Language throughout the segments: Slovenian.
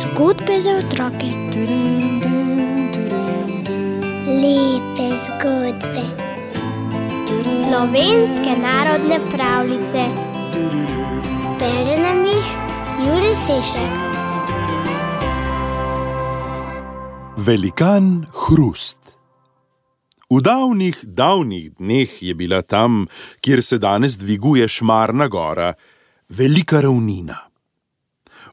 Zgodbe za otroke. Lepe zgodbe. Slovenske narodne pravljice. Bere nam jih Jure Sešek. Velikan Hrust. V davnih dneh je bila tam, kjer se danes dviguje Šmarna gora, velika ravnina.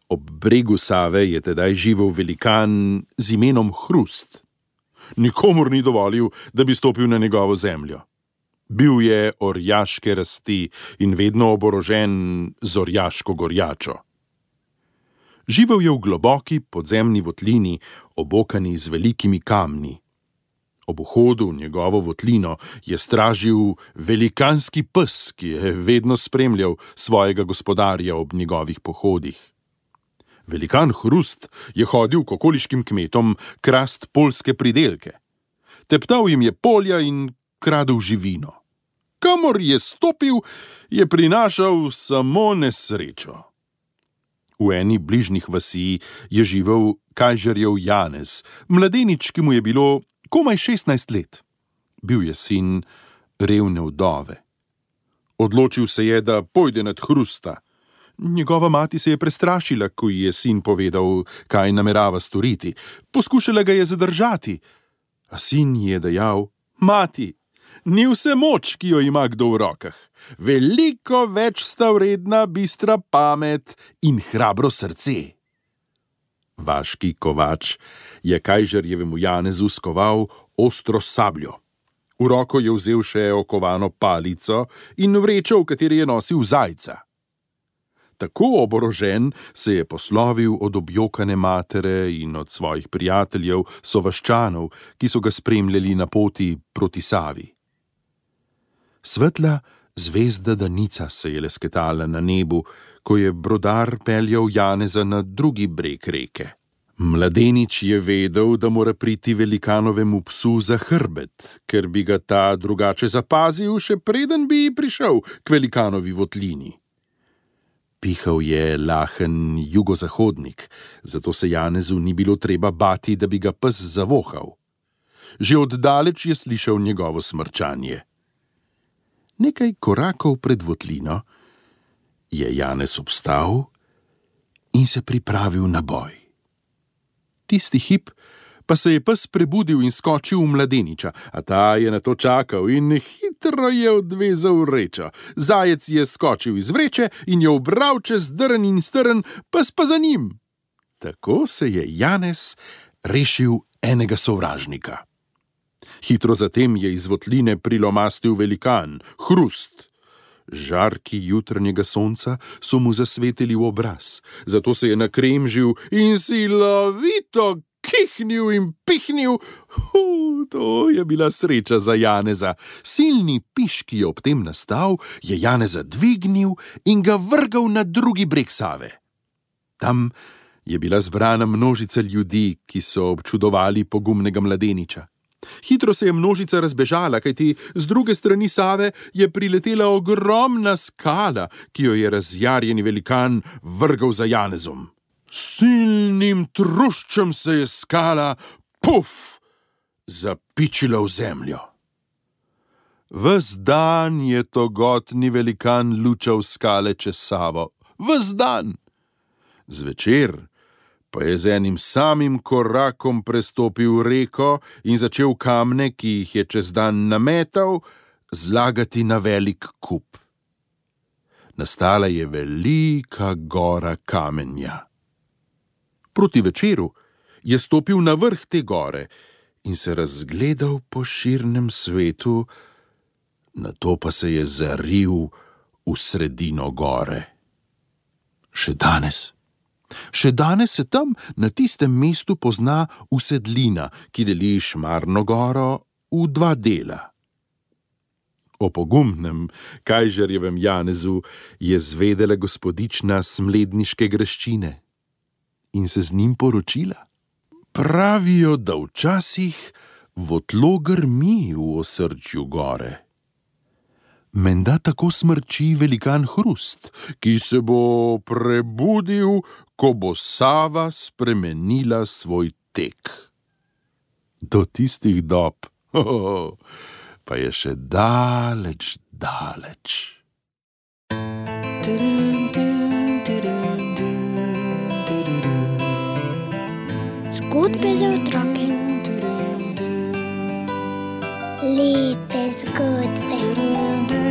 Ob bregu Save je tedaj živel velikan z imenom Hrust. Nikomur ni dovolil, da bi stopil na njegovo zemljo. Bil je orjaške rasti in vedno oborožen z orjaško gorjačo. Živel je v globoki podzemni votlini, obokani z velikimi kamni. Ob vhodu v njegovo votlino je stražil velikanski pes, ki je vedno spremljal svojega gospodarja ob njegovih pohodih. Velikan Hrust je hodil k okoliškim kmetom krast poljske pridelke. Teptal jim je polja in kradel živino. Kamor je stopil, je prinašal samo nesrečo. V eni bližnjih vasi je živel kajžarjev Janez, mladenič, ki mu je bilo komaj 16 let. Bil je sin revne vdove. Odločil se je, da pojde nad Hrusta. Njegova mati se je prestrašila, ko ji je sin povedal, kaj namerava storiti. Poskušala ga je zadržati, a sin ji je dejal: "Mati, ni vse moč, ki jo ima kdo v rokah. Veliko več sta vredna bistra pamet in hrabro srce." Vaški kovač je kajžarjevemu Janezu skoval ostro sabljo. V roko je vzel še okovano palico in vrečo, v kateri je nosil zajca. Tako oborožen se je poslovil od objokane matere in od svojih prijateljev sovaščanov, ki so ga spremljali na poti proti Savi. Svetla zvezda Danica se je lesketala na nebu, ko je brodar peljal Janeza na drugi breg reke. Mladenič je vedel, da mora priti velikanovemu psu za hrbet, ker bi ga ta drugače zapazil, še preden bi prišel k velikanovi votlini. Pihal je lahen jugozahodnik, zato se Janezu ni bilo treba bati, da bi ga pes zavohal. Že oddaleč je slišal njegovo smrčanje. Nekaj korakov pred votlino je Janez obstal in se pripravil na boj. Tisti hip pa se je pes prebudil in skočil v mladeniča, a ta je na to čakal in hitro je odvezal vrečo. Zajec je skočil iz vreče in jo ubral čez drn in strn, pes pa za njim. Tako se je Janez rešil enega sovražnika. Hitro zatem je iz votline prilomastil velikan Hrust. Žarki jutranjega sonca so mu zasvetili v obraz, zato se je nakremžil in silovito kihnil in pihnil. To je bila sreča za Janeza. Silni piš, ki je ob tem nastal, je Janeza dvignil in ga vrgal na drugi breg Save. Tam je bila zbrana množica ljudi, ki so občudovali pogumnega mladeniča. Hitro se je množica razbežala, kajti z druge strani Save je priletela ogromna skala, ki jo je razjarjeni velikan vrgal za Janezom. Silnim truščem se je skala, zapičila v zemljo. Ves dan je togotni velikan lučal skale čez Savo. Ves dan! Zvečer pa je z enim samim korakom prestopil reko in začel kamne, ki jih je čez dan nametal, zlagati na velik kup. Nastala je velika gora kamenja. Proti večeru je stopil na vrh te gore in se razgledal po širnem svetu, nato pa se je zaril v sredino gore. Še danes se tam na tistem mestu pozna usedlina, ki deli Šmarno goro v dva dela. O pogumnem kajžarjevem Janezu je zvedela gospodična Smledniške graščine in se z njim poročila. Pravijo, da včasih votlo grmi v osrčju gore. Menda tako smrči velikan Hrust, ki se bo prebudil, ko bo Sava spremenila svoj tek. Do tistih dob, pa je še daleč, daleč. Zgodbe za otroke. Lepe zgodbe.